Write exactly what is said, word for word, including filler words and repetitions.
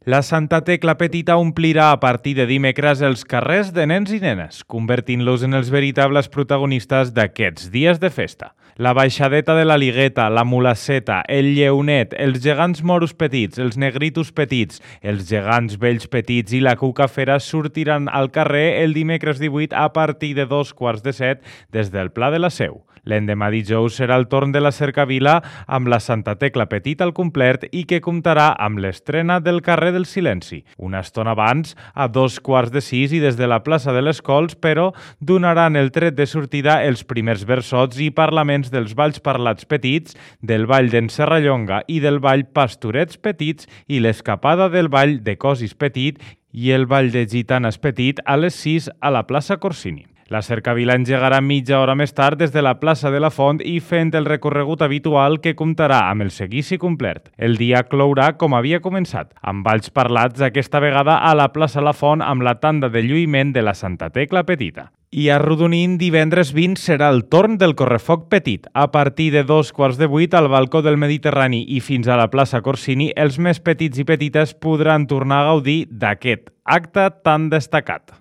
La Santa Tecla Petita omplirà a partir de dimecres els carrers de nens i nenes, convertint-los en els veritables protagonistes d'aquests dies de festa. La baixadeta de la Ligueta, la Mulasseta, el Lleonet, els gegants moros petits, els negritos petits, els gegants vells petits i la Cuca Fera sortiran al carrer el dimecres divuit a partir de dos quarts de set des del Pla de la Seu. L'endemà dijous serà el torn de la Cercavila amb la Santa Tecla Petita al complet i que comptarà amb l'estrena del carrer del Silenci. Una estona abans, a dos quarts de sis i des de la plaça de les Cols, però donaran el tret de sortida els primers versots i parlaments dels balls parlats petits, del ball d'en Serrallonga i del ball Pastorets Petits i l'escapada del ball de Cosis Petit i el ball de Gitanes Petit a les sis a la plaça Corsini. La Cercavila engegarà mitja hora més tard des de la plaça de la Font i fent el recorregut habitual que comptarà amb el seguici complet. El dia clourà com havia començat, amb balls parlats aquesta vegada a la plaça La Font amb la tanda de lluïment de la Santa Tecla Petita. I a Arrodonint, divendres vint serà el torn del Correfoc Petit. A partir de dos quarts de vuit al balcó del Mediterrani i fins a la plaça Corsini, els més petits i petites podran tornar a gaudir d'aquest acte tan destacat.